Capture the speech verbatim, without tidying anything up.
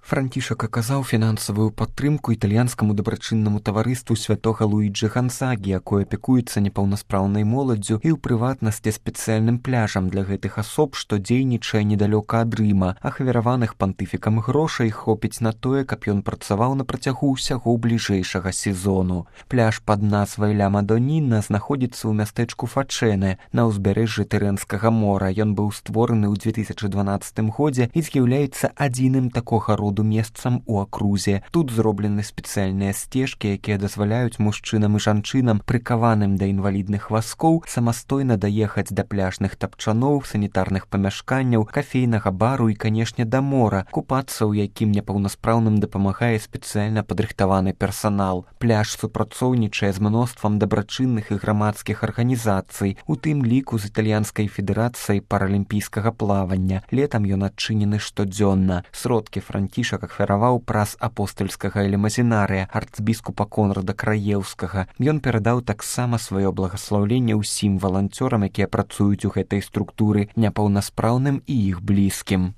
Францішак аказаў фінансавую падтрымку італьянскаму дабрачыннаму таварыству святога Луіджы Гансагі, якое апякуецца непаўнаспраўнай моладдзю і ў прыватнасці спецыяльным пляжам для гэтых асоб, што дзейнічае недалёка ад Рыма. Ахвяраваных пантыфікам грошай хопіць на тое, каб ён працаваў на працягу ўсяго бліжэйшага сезону. Пляж пад назвай Ля Мадоніна знаходзіцца ў мястэчку Фачэнэ на ўзбярэжжы Тэрэнскага мора. Ён быў створаны ў дзве тысячы дванаццатым годзе і з'яўляецца адзіным такога роду месцам у акрузе. Тут зроблены спецыяльныя сцежкі, якія дазваляюць мужчынам і жанчынам, прыкаваным да інвалідных вазкоў, самастойна даехаць да пляжных тапчаноў, санітарных памяшканняў, кафейнага бару і, канешне, да мора, купацца ў якім непаўнаспраўным дапамагае спецыяльна падрыхтаваны персанал. Пляж супрацоўнічае з мноствам дабрачынных і грамадскіх арганізацый, у тым ліку з італьянскай федэрацыяй паралімпійскага плавання. Летам ён адчынены штодзённа. Сродкі Францішак ахвяраваў праз апостальскага элемазінарыя арцбіскупа Конрада Краеўскага. Ён перадаў таксама сваё благаслаўленне ўсім валанцёрам, якія працуюць у гэтай структуры, непаўнаспраўным і іх блізкім.